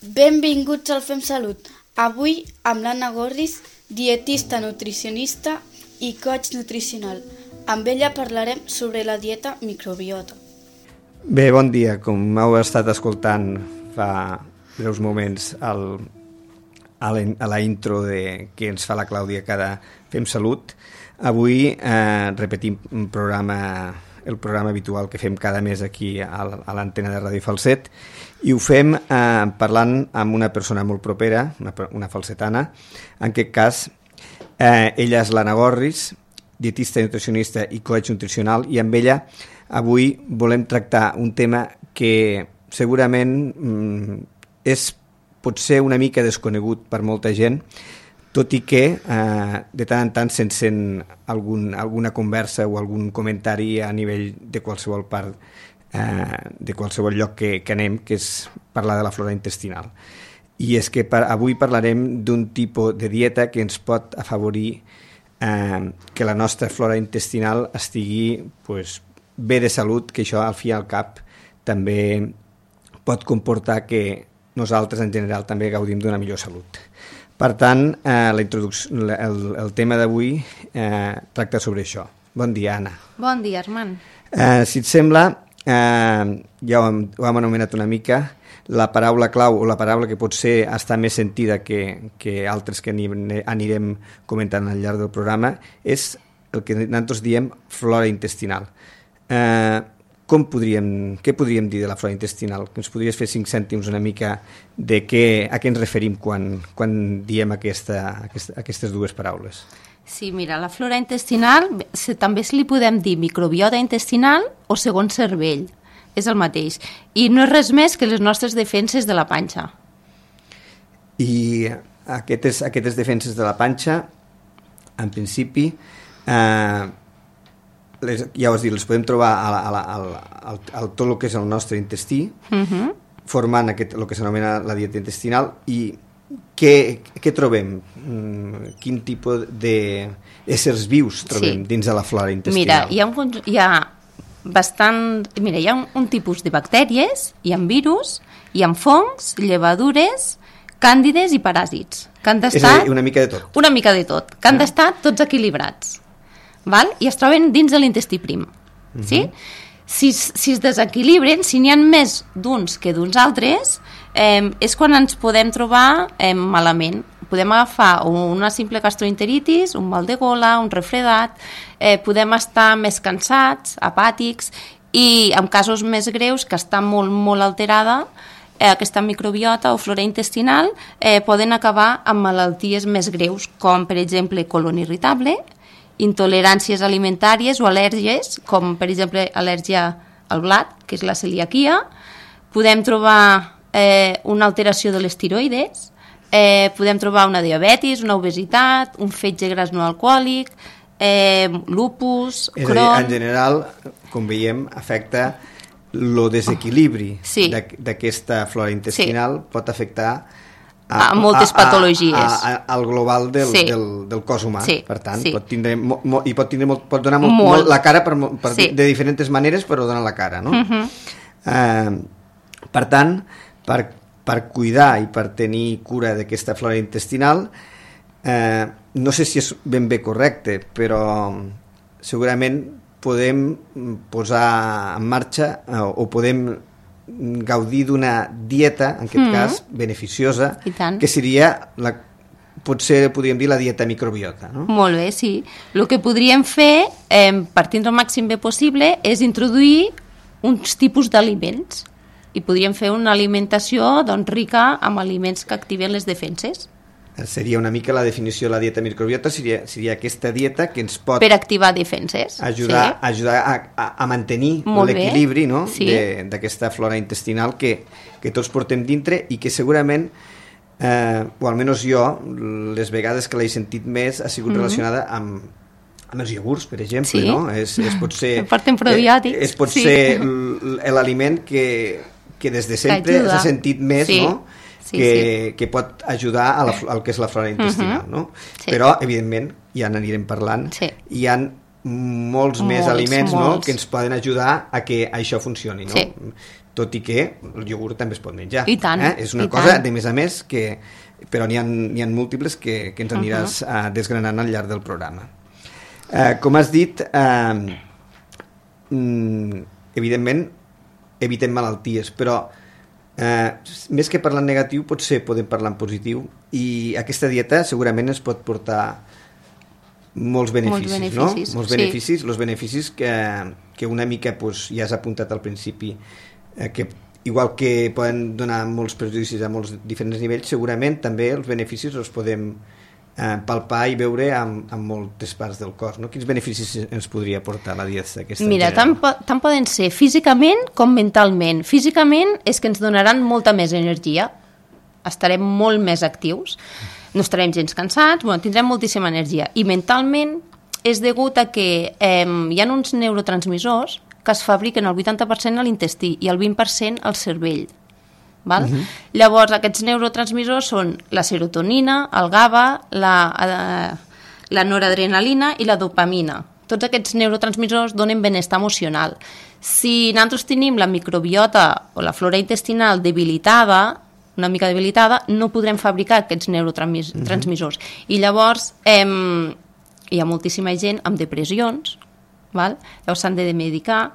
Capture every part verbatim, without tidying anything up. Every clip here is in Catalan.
Benvinguts al Fem Salut. Avui amb l'Anna Gorris, dietista nutricionista i coach nutricional. Amb ella parlarem sobre la dieta microbiota. Bé, bon dia. Com heu estat escoltant fa breus moments el, a, la, a la intro de, que ens fa la Clàudia cada Fem Salut, avui eh, repetim un programa, el programa habitual que fem cada mes aquí a, a l'antena de Ràdio Falset, i ho fem eh, parlant amb una persona molt propera, una, una falsetana. En aquest cas, eh, ella és l'Anna Gorris, dietista nutricionista i coach nutricional, i amb ella avui volem tractar un tema que segurament mm, és potser una mica desconegut per molta gent, tot i que eh, de tant en tant se'n sent algun, alguna conversa o algun comentari a nivell de qualsevol part, eh, de qualsevol lloc que, que anem, que és parlar de la flora intestinal. I és que per, avui parlarem d'un tipus de dieta que ens pot afavorir eh, que la nostra flora intestinal estigui pues, bé de salut, que això al fi i al cap també pot comportar que nosaltres en general també gaudim d'una millor salut. Per tant, eh, la introducció, el, el tema d'avui eh, tracta sobre això. Bon dia, Anna. Bon dia, Armand. Eh, si et sembla, eh, ja ho hem, ho hem anomenat una mica, la paraula clau o la paraula que potser està més sentida que, que altres que anirem comentant al llarg del programa és el que nosaltres diem flora intestinal. Eh, com podríem, què podríem dir de la flora intestinal? Ens podries fer cinc cèntims una mica de què, a què ens referim quan, quan diem aquesta, aquesta, aquestes dues paraules? Sí, mira, la flora intestinal també se li podem dir microbiota intestinal o segon cervell, és el mateix. I no és res més que les nostres defenses de la panxa. I aquestes, aquestes defenses de la panxa, en principi, eh, les, ja ho has dit, les podem trobar a, a, a, a, a tot el que és el nostre intestí, uh-huh. formant aquest, el que s'anomena la dieta intestinal. I què, què trobem? Quin tipus d'éssers vius trobem sí. dins de la flora intestinal? Mira, hi ha, un, hi ha bastant... Mira, hi ha un, un tipus de bactèries, hi ha virus, hi ha fongs, llevadures, càndides i paràsits. Que han és a dir, una mica de tot. Una mica de tot, que han ah. d'estar tots equilibrats. Val? I es troben dins de l'intestí prim. Uh-huh. Sí? Si, si es desequilibren, si n'hi ha més d'uns que d'uns altres, eh, és quan ens podem trobar eh, malament. Podem agafar una simple gastroenteritis, un mal de gola, un refredat, eh, podem estar més cansats, apàtics, i en casos més greus, que està molt, molt alterada, eh, aquesta microbiota o flora intestinal, eh, poden acabar amb malalties més greus, com per exemple colon irritable, intoleràncies alimentàries o al·lèrgies, com per exemple al·lèrgia al blat, que és la celiaquia. Podem trobar eh, una alteració de les tiroides, eh, podem trobar una diabetis, una obesitat, un fetge gras no alcohòlic, eh, lupus, és Crohn... És a dir, en general, com veiem, afecta el desequilibri oh, sí. d'aquesta flora intestinal, sí. pot afectar a, a moltes a, patologies a, a, a, al global del, sí. del, del cos humà, sí. per tant sí. pot tindre mo, mo, i pot, tindre molt, pot donar molt, molt. Molt la cara per, per sí. de diferents maneres, però donar la cara, no? Uh-huh. eh, per tant, per, per cuidar i per tenir cura d'aquesta flora intestinal, eh, no sé si és ben bé correcte, però segurament podem posar en marxa eh, o podem gaudir d'una dieta, en aquest mm. cas, beneficiosa, que seria, la, potser podríem dir, la dieta microbiota. No? Molt bé, sí. El que podríem fer, eh, partint del màxim bé possible, és introduir uns tipus d'aliments. I podríem fer una alimentació doncs, rica amb aliments que activen les defenses. Seria una mica la definició de la dieta microbiota, seria, seria aquesta dieta que ens pot... Per activar defenses. Ajudar, sí. ajudar a, a, a mantenir l'equilibri no? sí. d'aquesta flora intestinal que, que tots portem dintre i que segurament, eh, o almenys jo, les vegades que l'he sentit més ha sigut mm-hmm. relacionada amb, amb els iogurts, per exemple. Sí. No? És, és potser, porten probiòtics. És potser sí. l'aliment que, que des de sempre s'ha sentit més, sí. no? Sí, que, sí. que pot ajudar a la, al que és la flora intestinal, uh-huh. no? Sí. Però, evidentment, ja n'anirem parlant, sí. hi ha molts més Molts, aliments, no?, molts. que ens poden ajudar a que això funcioni, no? Sí. Tot i que el iogurt també es pot menjar. I tant, eh? És una i cosa, tant. de més a més, que, però n'hi ha, n'hi ha múltiples que, que ens aniràs uh -huh. uh, desgranant al llarg del programa. Uh, com has dit, uh, mm, evidentment, evitem malalties, però uh, més que parlar en negatiu, potser podem parlar en positiu, i aquesta dieta segurament ens pot portar molts beneficis, Molts beneficis, no? Molts sí. beneficis, els beneficis que, que una mica pues, ja has apuntat al principi, eh, que igual que poden donar molts perjudicis a molts diferents nivells, segurament també els beneficis els podem eh, palpar i veure en, en moltes parts del cos, no? Quins beneficis ens podria portar la dieta aquesta? Mira, tant, po tant poden ser físicament com mentalment. Físicament és que ens donaran molta més energia, estarem molt més actius, no estarem gens cansats, bueno, tindrem moltíssima energia. I mentalment és degut a que eh, hi ha uns neurotransmissors que es fabriquen el vuitanta per cent a l'intestí i el vint per cent al cervell. Val? Uh-huh. Llavors, aquests neurotransmissors són la serotonina, el GABA, la, eh, la noradrenalina i la dopamina. Tots aquests neurotransmissors donen benestar emocional. Si nosaltres tenim la microbiota o la flora intestinal debilitada, una mica debilitada, no podrem fabricar aquests neurotransmissors. Uh-huh. I llavors eh, hi ha moltíssima gent amb depressions, val? Llavors s'han de medicar.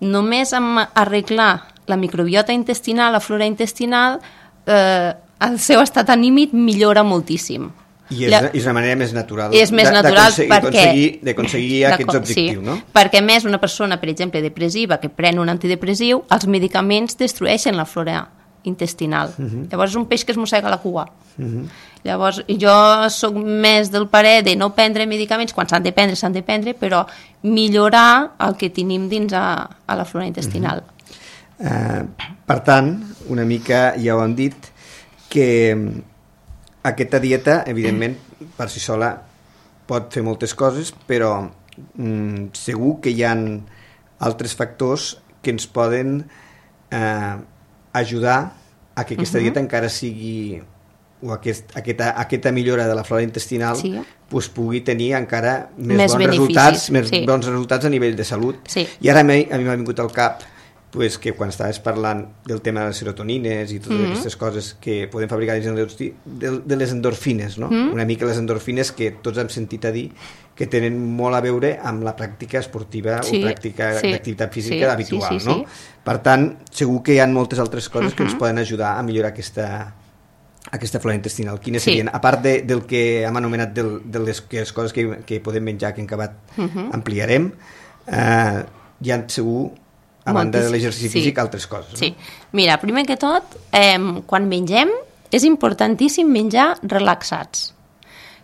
Només amb arreglar la microbiota intestinal, la flora intestinal, eh, el seu estat anímic millora moltíssim. I és, la... és una manera més natural, és més natural perquè... d'aconseguir aquests objectius, sí, no? Perquè, a més, una persona, per exemple, depressiva, que pren un antidepressiu, els medicaments destrueixen la flora intestinal. Uh-huh. Llavors és un peix que es mossega la cua. Uh-huh. Llavors jo sóc més del parer de no prendre medicaments, quan s'han de prendre, s'han de prendre, però millorar el que tenim dins a, a la flora intestinal. Uh-huh. uh, per tant, una mica ja ho hem dit, que aquesta dieta, evidentment, per si sola pot fer moltes coses, però mm, segur que hi ha altres factors que ens poden eh, ajudar a que aquesta uh-huh. dieta encara sigui, o aquest, aquesta, aquesta millora de la flora intestinal, sí, pues, pugui tenir encara més, més bons resultats, més sí. bons resultats a nivell de salut. Sí. I ara a mi, a mi m'ha vingut al cap pues, que quan estaves parlant del tema de les serotonines i totes mm-hmm. aquestes coses que podem fabricar dins de, de, de les endorfines, no? Mm-hmm. Una mica les endorfines que tots hem sentit a dir que tenen molt a veure amb la pràctica esportiva sí, o pràctica sí, d'activitat física sí, habitual, sí, sí, no? Sí. Per tant, segur que hi ha moltes altres coses mm-hmm. que ens poden ajudar a millorar aquesta, aquesta flora intestinal. Quines sí. serien? A part de, del que hem anomenat del, de les, que les coses que, que podem menjar, que en acabat mm-hmm. ampliarem, eh, hi ha segur, a banda de l'exercici sí. físic, altres coses. Sí. No? Mira, primer que tot, eh, quan mengem, és importantíssim menjar relaxats.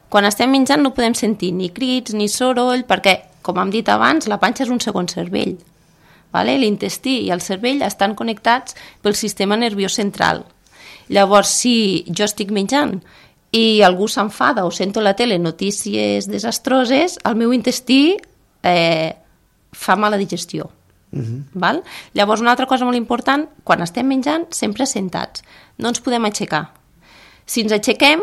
Quan estem menjant no podem sentir ni crits ni soroll, perquè, com hem dit abans, la panxa és un segon cervell. Vale? L'intestí i el cervell estan connectats pel sistema nerviós central. Llavors, si jo estic menjant i algú s'enfada o sento a la tele notícies desastroses, el meu intestí eh, fa mala digestió. Uh-huh. Val? Llavors, una altra cosa molt important, quan estem menjant, sempre sentats. No ens podem aixecar. Si ens aixequem,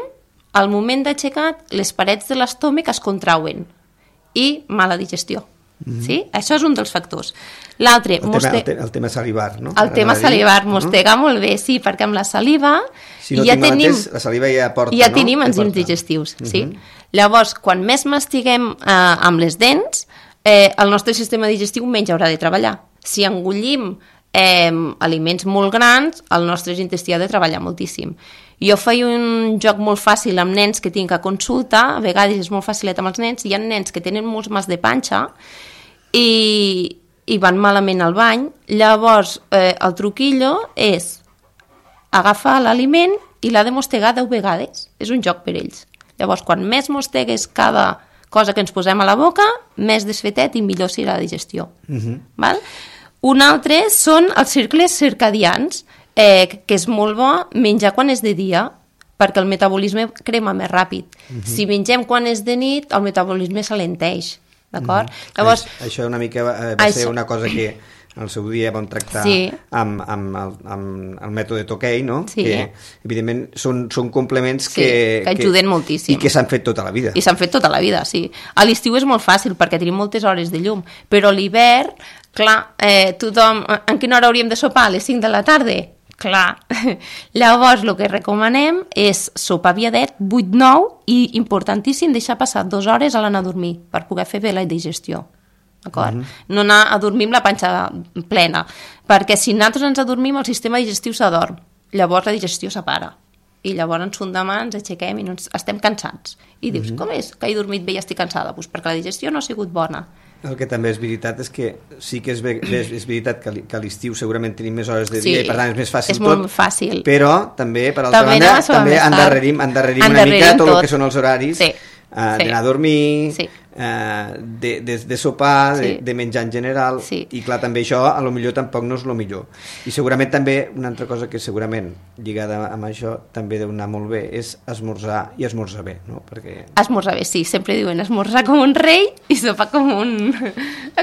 al moment d'aixecat, les parets de l'estómac es contrauen i mala digestió. Uh-huh. Sí? Això és un dels factors. L'altre... El, moste... el, te el tema salivar, no? El tema salivar, mostegar uh-huh. molt bé, sí, perquè amb la saliva... Si no ja tenim, mateix, la saliva ja porta, ja no? tenim enzims digestius, uh-huh. sí. Llavors, quan més mastiguem eh, amb les dents, eh, el nostre sistema digestiu menys haurà de treballar. Si engullim eh, aliments molt grans, el nostre intestí ha de treballar moltíssim. Jo feia un joc molt fàcil amb nens que tinc a consulta, a vegades és molt facilet amb els nens, hi ha nens que tenen molts mas de panxa i, i van malament al bany, llavors eh, el truquillo és agafar l'aliment i l'ha de mostegar deu vegades, és un joc per ells. Llavors, quan més mostegues cada cosa que ens posem a la boca, més desfetet i millor serà la digestió. Uh-huh. Val? Un altre són els cercles circadians, eh, que és molt bo menjar quan és de dia, perquè el metabolisme crema més ràpid. Uh-huh. Si mengem quan és de nit, el metabolisme s'alenteix. D'acord? Uh-huh. Llavors, això una mica va, va això... ser una cosa que al seu dia vam tractar sí. amb, amb, el, amb el mètode Tokay, no? Sí. Que evidentment són, són complements sí, que, que ajuden que, moltíssim. I que s'han fet tota la vida. I s'han fet tota la vida, sí. A l'estiu és molt fàcil perquè tenim moltes hores de llum, però a l'hivern, clar, eh, tothom... En quina hora hauríem de sopar? A les cinc de la tarda? Clar. Llavors, el que recomanem és sopar aviadet, vuit nou, i importantíssim deixar passar dues hores a l'anar a dormir per poder fer bé la digestió. D'acord? Mm-hmm. No anar a dormir amb la panxa plena, perquè si nosaltres ens adormim el sistema digestiu s'adorm, llavors la digestió s'apara i llavors ens fundem, ens aixequem i no ens... estem cansats i dius, mm-hmm. com és que he dormit bé i estic cansada? Pues perquè la digestió no ha sigut bona. El que també és veritat és que sí que és, ve, és, és veritat que, que a l'estiu segurament tenim més hores de sí, dia i per tant és més fàcil és tot, molt fàcil. Però també, per altra també banda, també endarrerim, endarrerim, endarrerim una mica tot, tot el que són els horaris sí. Uh, sí. d'anar a dormir, sí. uh, de, de, de sopar, sí. de, de menjar en general, sí. i clar, també això a lo millor tampoc no és lo millor. I segurament també una altra cosa que segurament lligada amb això també deu anar molt bé és esmorzar i esmorzar bé, no? Perquè... Esmorzar bé, sí, sempre diuen esmorzar com un rei i sopar com un,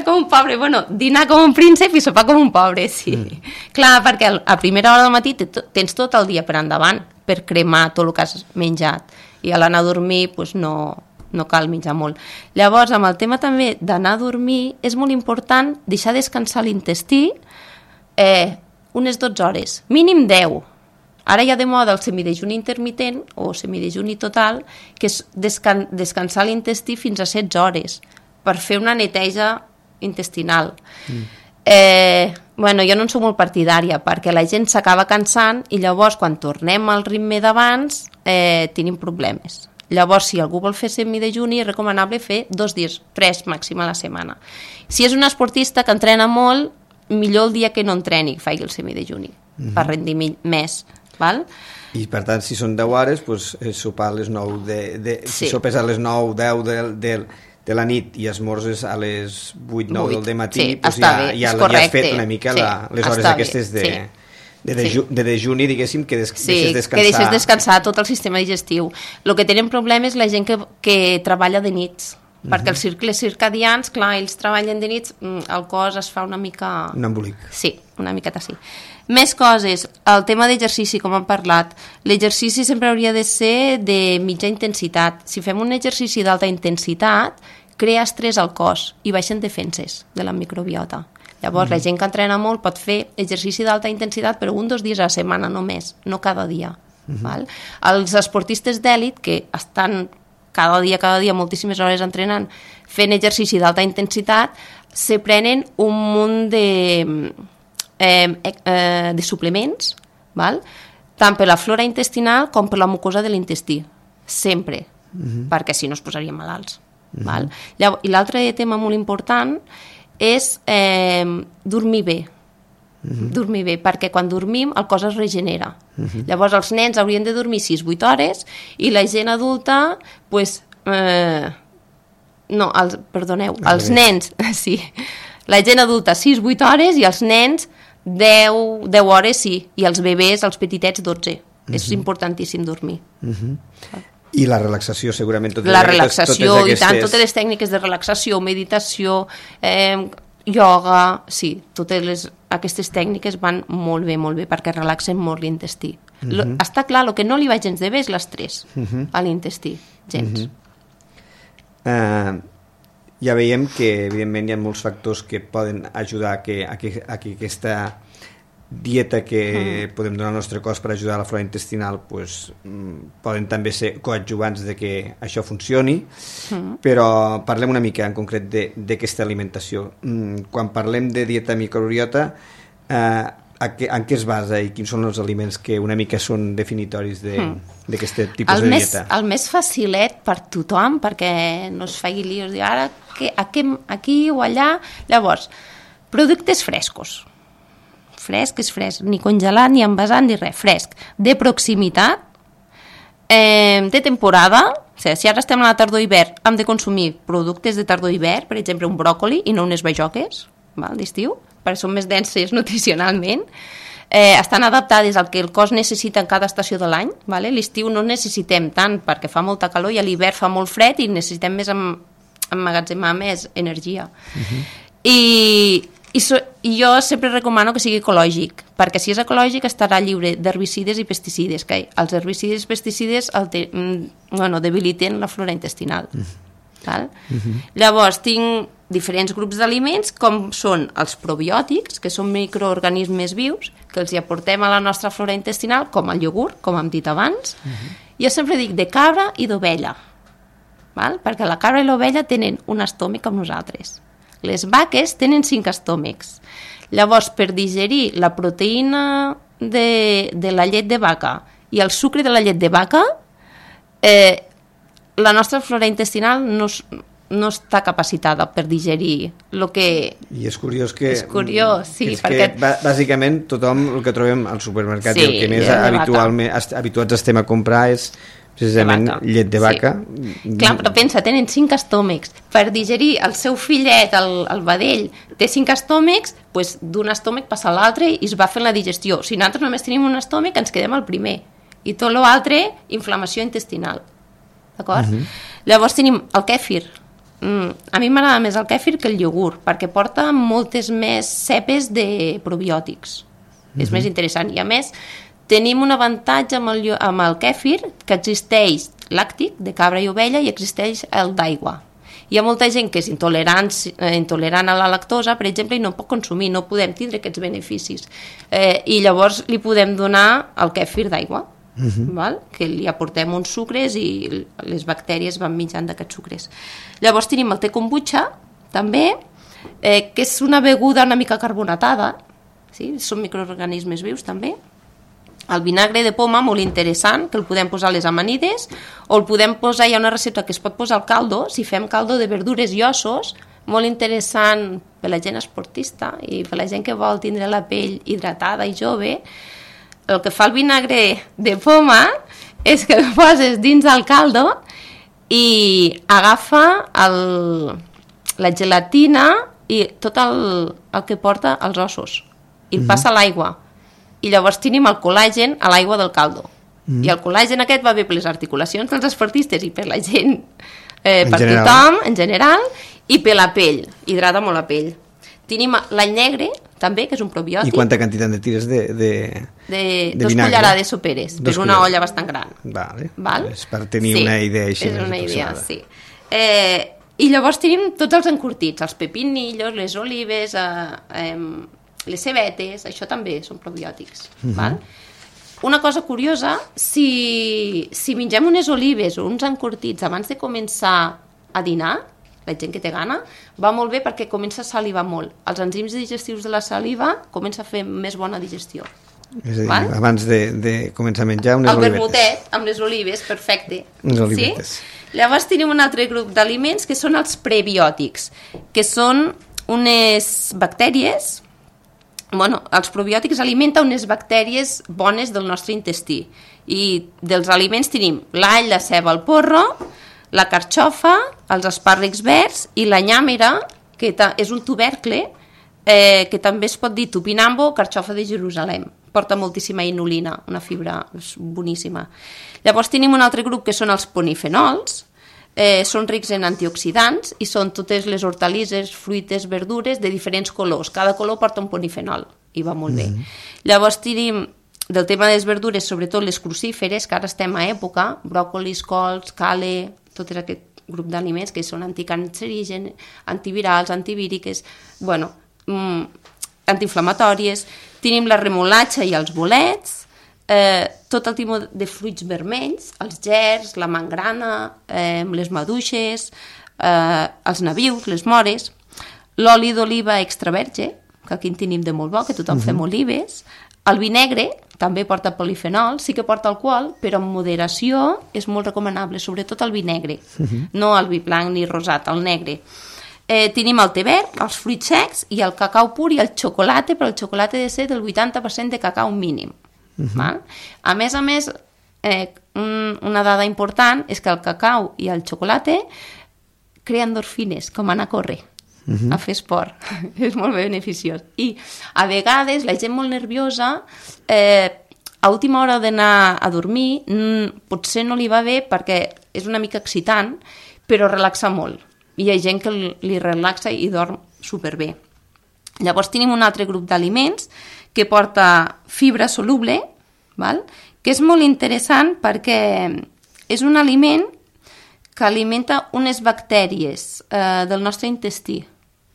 com un pobre, bueno, dinar com un príncep i sopar com un pobre, sí. Mm. Clar, perquè a primera hora del matí tens tot el dia per endavant per cremar tot el que has menjat i a l'anar a dormir pues, no, no cal menjar molt. Llavors, amb el tema també d'anar a dormir, és molt important deixar descansar l'intestí eh, unes dotze hores, mínim deu. Ara hi ha de moda el semidejuni intermitent o semidejuni total, que és descan descansar l'intestí fins a setze hores per fer una neteja intestinal. Mm. Eh, bueno, jo no en soc molt partidària perquè la gent s'acaba cansant i llavors quan tornem al ritme d'abans eh, tenim problemes. Llavors, si algú vol fer semidejuni, és recomanable fer dos dies, tres màxim a la setmana. Si és un esportista que entrena molt, millor el dia que no entreni, que faci el semidejuni, mm-hmm. per rendir més. Val? I per tant, si són deu hores, doncs, sopar a les nou, de, de, sí. si sopes a les nou, deu del... del de la nit i esmorzes a les vuit nou del matí, sí, doncs ja, bé, ja, ja has fet una mica sí, la, les hores aquestes de, sí. de, deju, sí. de dejuni, diguéssim, que des, sí, deixes descansar. que deixes descansar tot el sistema digestiu. El que tenen problemes és la gent que, que treballa de nits, uh-huh. perquè els cicles circadians, clar, ells treballen de nits, el cos es fa una mica... Un embolic. Sí, una miqueta sí. Més coses, el tema d'exercici, com hem parlat. L'exercici sempre hauria de ser de mitja intensitat. Si fem un exercici d'alta intensitat, crea estrès al cos i baixen defenses de la microbiota. Llavors, mm. la gent que entrena molt pot fer exercici d'alta intensitat, però un o dos dies a la setmana només, no cada dia. Mm-hmm. Val? Els esportistes d'èlit, que estan cada dia, cada dia, moltíssimes hores entrenant, fent exercici d'alta intensitat, se prenen un munt de... Eh, eh, de suplements, val? Tant per la flora intestinal com per la mucosa de l'intestí, sempre, uh-huh. perquè si no es posarien malalts. Uh-huh. Val? Llavors, i l'altre tema molt important és eh, dormir bé, uh-huh. dormir bé, perquè quan dormim el cos es regenera. Uh-huh. Llavors els nens haurien de dormir sis vuit hores i la gent adulta, pues, eh, no, els, perdoneu, ah, els nens, sí, la gent adulta sis vuit hores i els nens deu, deu hores sí, i els bebès, els petitets, dotze. Uh-huh. És importantíssim dormir. Uh-huh. I la relaxació, segurament. Totes la relaxació, totes aquestes... i tant, totes les tècniques de relaxació, meditació, eh, ioga, sí, totes les, aquestes tècniques van molt bé, molt bé, perquè relaxen molt l'intestí. Uh-huh. Lo, està clar, el que no li va gens de bé és l'estrès uh-huh. a l'intestí, gens. Uh-huh. Uh, ja veiem que, evidentment, hi ha molts factors que poden ajudar a que, a que, a que aquesta dieta que mm. podem donar al nostre cos per ajudar a la flora intestinal pues, poden també ser coadjuvants de que això funcioni, mm. però parlem una mica en concret d'aquesta alimentació. Quan parlem de dieta microbiota, eh, a què, en què es basa i quins són els aliments que una mica són definitoris d'aquest mm. tipus el de més, dieta? El més facilet per tothom, perquè no es faci líos, dir ara que, aquí, aquí o allà. Llavors, productes frescos. Fresc és fresc, ni congelat, ni envasat, ni res, fresc. De proximitat, eh, de temporada, o sigui, si ara estem a la tardor-hivern, hem de consumir productes de tardor-hivern, per exemple, un bròcoli i no unes bajoques, d'estiu, perquè són més denses nutricionalment, eh, estan adaptades al que el cos necessita en cada estació de l'any, vale? L'estiu no necessitem tant perquè fa molta calor i a l'hivern fa molt fred i necessitem més em, emmagatzemar més energia. Uh-huh. I I, so, I jo sempre recomano que sigui ecològic, perquè si és ecològic estarà lliure d'herbicides i pesticides, que els herbicides i pesticides alter, bueno, debiliten la flora intestinal. Mm. Val? Mm-hmm. Llavors tinc diferents grups d'aliments com són els probiòtics, que són microorganismes vius que els hi aportem a la nostra flora intestinal, com el iogurt, com hem dit abans. Mm-hmm. Jo sempre dic de cabra i d'ovella, val? Perquè la cabra i l'ovella tenen un estòmac com nosaltres. Les vaques tenen cinc estòmacs. Llavors, per digerir la proteïna de, de la llet de vaca i el sucre de la llet de vaca, eh, la nostra flora intestinal no, no està capacitada per digerir el que... I és curiós que... És curiós, sí, és perquè... que, bàsicament, tothom el que trobem al supermercat sí, i el que més habitualment, habituats estem a comprar és precisament de llet de vaca. Sí. Clar, però pensa, tenen cinc estòmacs. Per digerir el seu fillet, el, el vedell, té cinc estòmacs, doncs d'un estòmac passa a l'altre i es va fent la digestió. Si nosaltres només tenim un estòmac, ens quedem al primer. I tot l'altre, inflamació intestinal. D'acord? Uh-huh. Llavors tenim el kèfir. Mm, a mi m'agrada més el kèfir que el iogurt, perquè porta moltes més cepes de probiòtics. Uh-huh. És més interessant. I a més, tenim un avantatge amb el, amb el kèfir, que existeix làctic, de cabra i ovella, i existeix el d'aigua. Hi ha molta gent que és intolerant, eh, intolerant a la lactosa, per exemple, i no pot consumir, no podem tindre aquests beneficis. Eh, I llavors li podem donar el kèfir d'aigua. Uh-huh. Val? Que li aportem uns sucres i les bactèries van menjant d'aquests sucres. Llavors tenim el te kombucha també, eh, que és una beguda una mica carbonatada, sí? Són microorganismes vius també. El vinagre de poma, molt interessant, que el podem posar a les amanides, o el podem posar, hi ha una recepta que es pot posar al caldo, si fem caldo de verdures i ossos, molt interessant per la gent esportista i per la gent que vol tindre la pell hidratada i jove. El que fa el vinagre de poma és que el poses dins el caldo i agafa el, la gelatina i tot el, el que porta als ossos i el passa a l'aigua. I llavors tenim el col·làgen a l'aigua del caldo. Mm. I el col·làgen aquest va bé per les articulacions dels esportistes i per la gent, eh, per general. Tothom, en general, i per la pell. Hidrata molt la pell. Tenim l'all negre, també, que és un probiòtic. I quanta quantitat de tires de, de, de, de dos vinagre? cullerades soperes, dos per una cullerades. olla bastant gran. Vale. Val? És per tenir sí, una idea així. És una idea, sí. Eh, I llavors tenim tots els encurtits, els pepinillos, les olives, eh, eh, les cebetes, això també són probiòtics. Uh-huh. Val? Una cosa curiosa, si, si mengem unes olives o uns encurtits abans de començar a dinar, la gent que té gana, va molt bé perquè comença a salivar molt. Els enzims digestius de la saliva comença a fer més bona digestió. És a dir, val? Abans de, de començar a menjar unes el olivetes. El vermutet amb les olives, perfecte. Unes olivetes. Sí? Llavors tenim un altre grup d'aliments que són els prebiòtics, que són unes bactèries. Bueno, els probiòtics alimenten unes bactèries bones del nostre intestí. I dels aliments tenim l'all, la ceba, el porro, la carxofa, els espàrrecs verds i la nyàmera, que és un tubercle, eh, que també es pot dir tupinambo, carxofa de Jerusalem. Porta moltíssima inulina, una fibra boníssima. Llavors tenim un altre grup que són els polifenols, eh, són rics en antioxidants i són totes les hortalisses, fruites, verdures de diferents colors. Cada color porta un polifenol i va molt bé. Mm-hmm. Llavors tenim del tema de les verdures, sobretot les crucíferes, que ara estem a època, bròcolis, cols, cale, tot aquest grup d'aliments que són anticancerígens, antivirals, antivíriques, bueno, mm, antiinflamatòries. Tenim la remolatxa i els bolets, eh, tot el tipus de fruits vermells, els gerds, la mangrana, eh, les maduixes, eh, els nabius, les mores, l'oli d'oliva extra verge, que aquí en tenim de molt bo, que tothom uh-huh. fem olives, el vinegre també porta polifenol, sí que porta alcohol, però en moderació és molt recomanable, sobretot el vinegre, uh-huh. no el vi blanc ni rosat, el negre. Eh, tenim el te verd, els fruits secs i el cacau pur i el xocolata, però el xocolata ha de ser del vuitanta per cent de cacau mínim. Uh-huh. Val? A més a més, eh, un, una dada important és que el cacau i el xocolata creen endorfines, com anar a córrer. Uh-huh. A fer esport, és molt beneficiós. I a vegades la gent molt nerviosa, eh, a última hora d'anar a dormir, mm, potser no li va bé perquè és una mica excitant, però relaxa molt. I hi ha gent que li relaxa i dorm superbé. Llavors tenim un altre grup d'aliments que porta fibra soluble, val? Que és molt interessant perquè és un aliment que alimenta unes bactèries eh, del nostre intestí.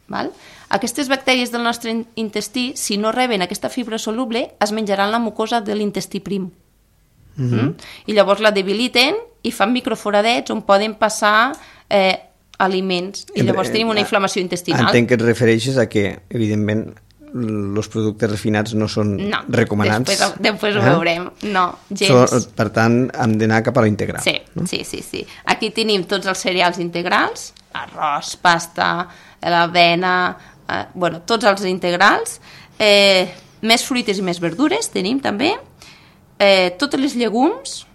Val? Aquestes bactèries del nostre intestí, si no reben aquesta fibra soluble, es menjaran la mucosa de l'intestí prim. Mm -hmm. mm? I llavors la debiliten i fan microforadets on poden passar eh, aliments. I llavors tenim una inflamació intestinal. Entenc que et refereixes a que, evidentment, els productes refinats no són no, recomanats. Després, després ho eh? veurem. No, gens. So, per tant, hem d'anar cap a la integral. Sí, no? sí, sí, sí. Aquí tenim tots els cereals integrals, arròs, pasta, l'avena, eh, bueno, tots els integrals, eh, més fruites i més verdures tenim també, eh, totes les llegums,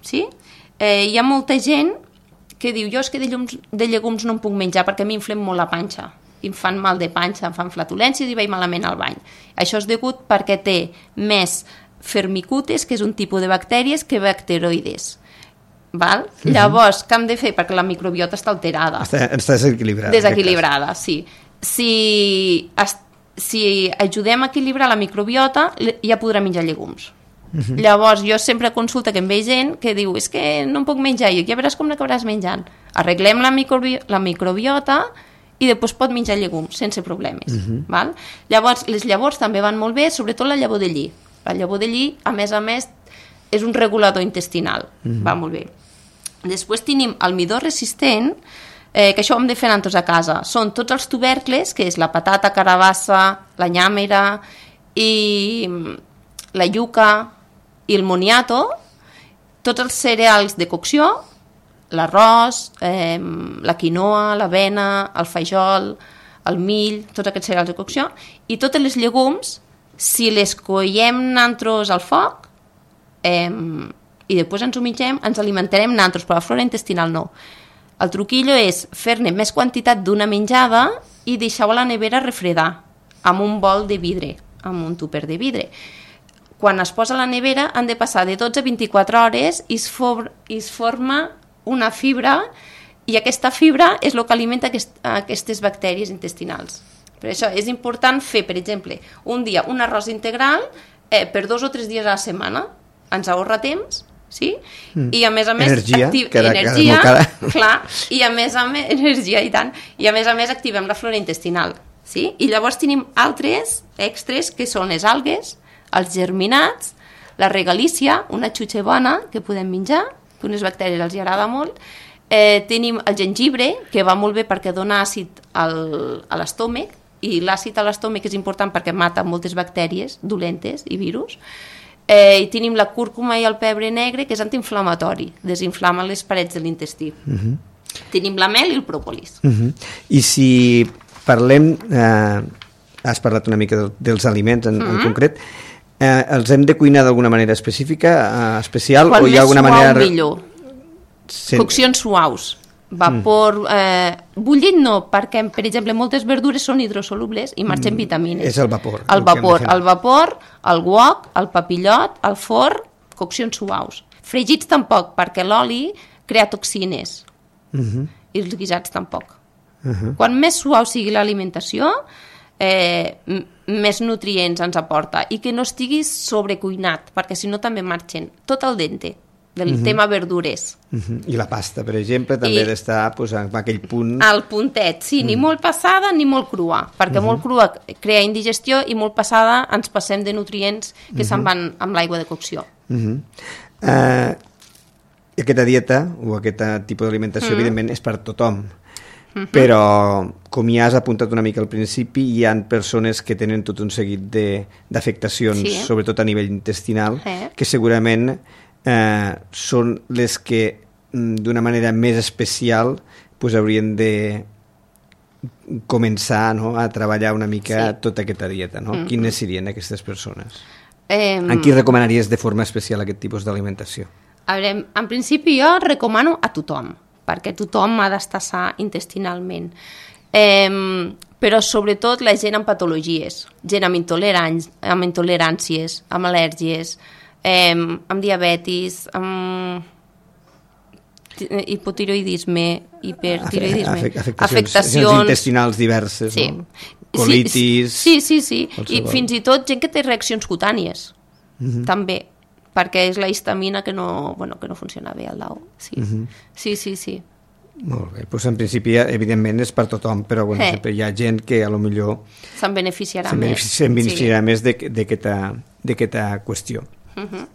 sí? Eh, hi ha molta gent que diu, jo és que de, llums, de llegums no em puc menjar perquè a mi inflem molt la panxa, em fan mal de panxa, em fan flatulències i vaig malament al bany. Això és degut perquè té més firmicutes, que és un tipus de bactèries, que bacteroides. Val? Uh-huh. Llavors, què hem de fer? Perquè la microbiota està alterada. Està, està desequilibrada. Desequilibrada, sí. Si, si ajudem a equilibrar la microbiota, ja podrà menjar llegums. Uh-huh. Llavors, jo sempre consulta que em ve gent que diu, és que no em puc menjar, i ja veràs com l'acabaràs menjant. Arreglem la, microbi la microbiota i després pot menjar llegums, sense problemes. Uh-huh. Val? Llavors, les llavors també van molt bé, sobretot la llavor de lli. La llavor de lli, a més a més, és un regulador intestinal. Uh-huh. Va molt bé. Després tenim el midó resistent, eh, que això ho hem de fer nosaltres a casa. Són tots els tubercles, que és la patata, carabassa, la nyàmera, i la iuca, i el moniato, tots els cereals de cocció, l'arròs, eh, la quinoa, l'avena, el fajol, el mill, tots aquests cereals de cocció, i totes les llegums, si les coiem nosaltres al foc, eh, i després ens ho mengem, ens alimentarem nosaltres, però la flora intestinal no. El truquillo és fer-ne més quantitat d'una menjada i deixar-ho a la nevera refredar, amb un bol de vidre, amb un tupper de vidre. Quan es posa a la nevera han de passar de dotze a vint-i-quatre hores i es, for i es forma una fibra, i aquesta fibra és el que alimenta aquest, aquestes bactèries intestinals. Per això és important fer, per exemple, un dia un arròs integral eh, per dos o tres dies a la setmana. Ens ahorra temps, sí? Mm. I a més a més... Energia, activ... cada, energia cada cada... clar, i a més a més... Energia, i tant. I a més a més activem la flora intestinal, sí? I llavors tenim altres extras, que són les algues, els germinats, la regalícia, una xutxa bona que podem menjar, que unes bactèries els agrada molt. Eh, tenim el gengibre, que va molt bé perquè dona àcid al, a l'estómac, i l'àcid a l'estómac és important perquè mata moltes bactèries dolentes i virus. Eh, I tenim la cúrcuma i el pebre negre, que és antiinflamatori, desinflama les parets de l'intestí. Uh -huh. Tenim la mel i el pròpolis. Uh -huh. I si parlem, eh, has parlat una mica de, dels aliments en, uh -huh. en concret, eh, els hem de cuinar d'alguna manera específica, eh, especial, quan o hi ha alguna manera... Quan més suau, millor. Sen... Coccions suaus. Vapor, eh, bullit no, perquè, per exemple, moltes verdures són hidrosolubles i marxen mm, vitamines. És el vapor. El vapor, el vapor, el wok, el papillot, el forn, coccions suaus. Fregits tampoc, perquè l'oli crea toxines. Uh-huh. I els guisats tampoc. Uh-huh. Quan més suau sigui l'alimentació, eh, més nutrients ens aporta, i que no estigui sobrecuinat, perquè si no també marxen tot al dente. Del uh-huh. tema verdures. Uh-huh. I la pasta, per exemple, també ha d'estar pues, en aquell punt... Al puntet, sí, uh-huh. ni molt passada ni molt crua, perquè uh-huh. molt crua crea indigestió i molt passada ens passem de nutrients que uh-huh. se'n van amb l'aigua de cocció. Uh-huh. uh, aquesta dieta o aquest tipus d'alimentació, uh-huh. evidentment, és per tothom. Uh-huh. Però, com ja has apuntat una mica al principi, hi ha persones que tenen tot un seguit d'afectacions, sí. sobretot a nivell intestinal, eh. que segurament... Eh, són les que d'una manera més especial pues, haurien de començar, no?, a treballar una mica sí. tota aquesta dieta, no? Mm-hmm. Quines serien aquestes persones? Eh, en qui recomanaries de forma especial aquest tipus d'alimentació? A veure, en principi jo recomano a tothom, perquè tothom ha d'estar sa intestinalment. Eh, però sobretot la gent amb patologies, gent amb, intoleràncies, amb intoleràncies, amb al·lèrgies, Eh, amb diabetis, amb hipotiroidisme, hipertiroidisme, Afec afectacions, afectacions intestinals diverses. Sí. No? colitis... Sí, sí, sí. Qualsevol. I fins i tot gent que té reaccions cutànies, uh-huh. també, perquè és la histamina que no, bueno, que no funciona bé al dau. Sí, uh-huh. sí, sí, sí. Molt bé, doncs en principi, evidentment, és per tothom, però bueno, eh. sempre hi ha gent que a lo millor se'n beneficiarà se'n més. Se'n beneficiarà sí. més d'aquesta qüestió. Uh-huh.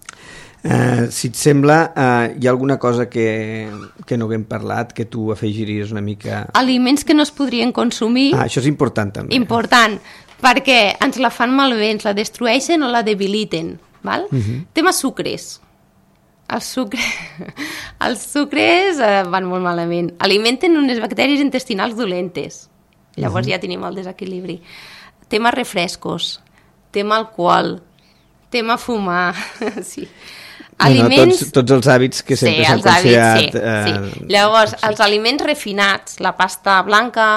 Uh, si et sembla, uh, hi ha alguna cosa que, que no haguem parlat, que tu afegiries una mica... Aliments que no es podrien consumir... Ah, això és important, també. Important, perquè ens la fan malbé, ens la destrueixen o la debiliten, val? Uh-huh. Tema sucres. Els, sucre... els sucres eh, van molt malament. Alimenten unes bactèries intestinals dolentes. Llavors uh-huh. ja tenim el desequilibri. Tema refrescos, tema alcohol, tema fumar... sí. Aliments... Bueno, tots, tots els hàbits que sempre sí, s'han considerat... Sí, eh... sí. Llavors, sí. els aliments refinats, la pasta blanca,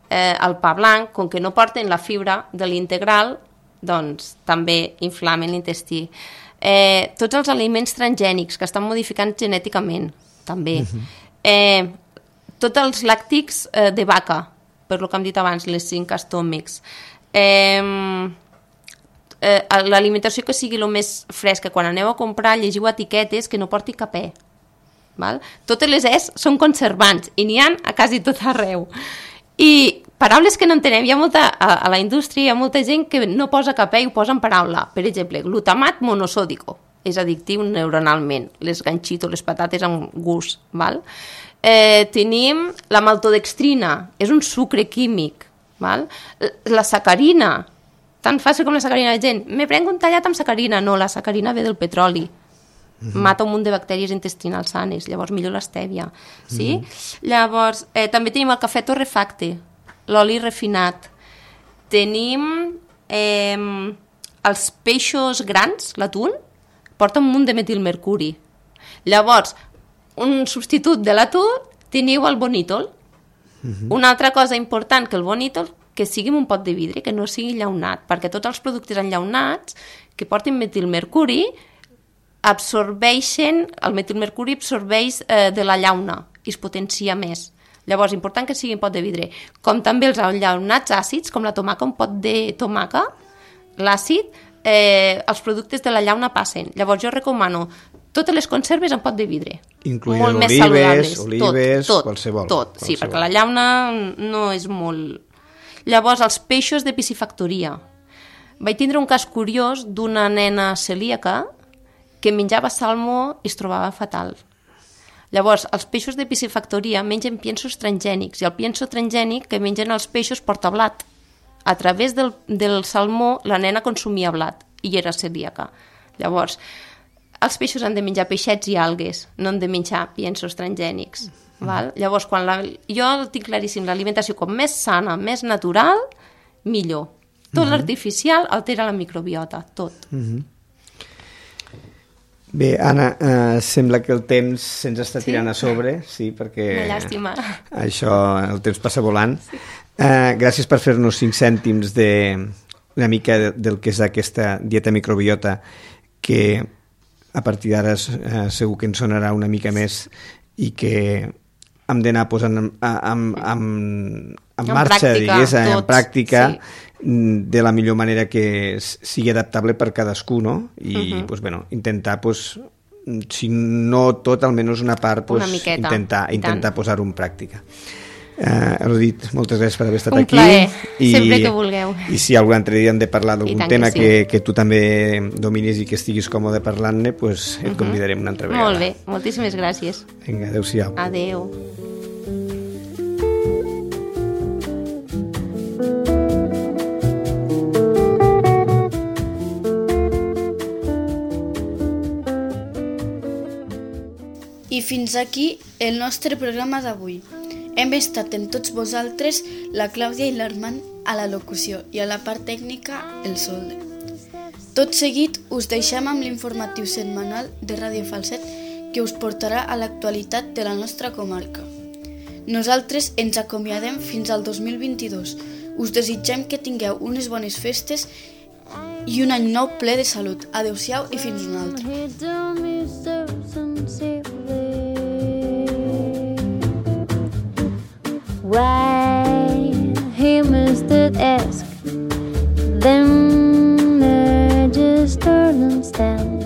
eh, el pa blanc, com que no porten la fibra de l'integral, doncs també inflamen l'intestí. Eh, tots els aliments transgènics que estan modificant genèticament, també. Uh-huh. eh, tots els làctics eh, de vaca, per lo que hem dit abans, les cinc astòmics. Eh, eh, l'alimentació que sigui el més fresca. Quan aneu a comprar, llegiu etiquetes que no porti capè. Val? Totes les es són conservants i n'hi ha a quasi tot arreu. I paraules que no entenem, hi ha molta, a, a la indústria hi ha molta gent que no posa capè i ho posa en paraula. Per exemple, glutamat monosòdico, és addictiu neuronalment, les ganxitos, les patates amb gust, val? Eh, tenim la maltodextrina, és un sucre químic, val? La sacarina, tan fàcil com la sacarina, la gent, me prenc un tallat amb sacarina, no, la sacarina ve del petroli, mm-hmm. mata un munt de bactèries intestinals sanes, llavors millor l'estèvia, sí? Mm-hmm. Llavors, eh, també tenim el cafè torrefacte, l'oli refinat, tenim eh, els peixos grans, l'atún, porta un munt de metilmercuri. Llavors, un substitut de l'atún, teniu el bonítol. Uh-huh. Una altra cosa important que el bonítol, que sigui un pot de vidre, que no sigui llaunat, perquè tots els productes enllaunats que portin metilmercuri absorbeixen, el metilmercuri absorbeix eh, de la llauna i es potencia més. Llavors, important que sigui un pot de vidre. Com també els enllaunats àcids, com la tomaca, un pot de tomaca, l'àcid, eh, els productes de la llauna passen. Llavors, jo recomano totes les conserves en pot de vidre. Incloent olives, olives, tot, tot, qualsevol. Tot, qualsevol. Sí, perquè la llauna no és molt... Llavors, els peixos de piscifactoria. Vaig tindre un cas curiós d'una nena celíaca que menjava salmó i es trobava fatal. Llavors, els peixos de piscifactoria mengen piensos transgènics i el pienso transgènic que mengen els peixos porta blat. A través del, del salmó la nena consumia blat i era celíaca. Llavors, els peixos han de menjar peixets i algues, no han de menjar piensos transgènics. Mm. Val? Llavors, quan la, jo tinc claríssim, l'alimentació com més sana, més natural, millor. Tot mm-hmm. l'artificial altera la microbiota, tot. Mm-hmm. Bé, Anna, eh, sembla que el temps se'ns està tirant sí? a sobre, sí, perquè... Una llàstima. Això, el temps passa volant. Sí. Eh, gràcies per fer-nos cinc cèntims de una mica de, del que és aquesta dieta microbiota, que a partir d'ara eh, segur que ens sonarà una mica més i que hem d'anar posant en, en, en, en marxa, pràctica, digués, en tots, pràctica, sí. de la millor manera que sigui adaptable per cadascú, no? I uh-huh. pues, bueno, intentar, pues, si no tot, almenys una part, pues, una miqueta, intentar, intentar posar-ho en pràctica. Uh, Elodit, moltes gràcies per haver estat un aquí. Un plaer, I, sempre que vulgueu. I si algun altre dia hem de parlar d'algun tema que, que, sí. que, que tu també dominis i que estiguis còmode parlant-ne, pues, et uh-huh. convidarem una altra vegada. Molt bé, moltíssimes gràcies. Vinga, adéu-siau. Adéu. I fins aquí el nostre programa d'avui. Hem estat amb tots vosaltres la Clàudia i l'Armand a la locució i a la part tècnica el Solde. Tot seguit us deixem amb l'informatiu setmanal de Ràdio Falset que us portarà a l'actualitat de la nostra comarca. Nosaltres ens acomiadem fins al dos mil vint-i-dos. Us desitgem que tingueu unes bones festes i un any nou ple de salut. Adéu-siau i fins una altra. Why he must ask them edges turn and stand.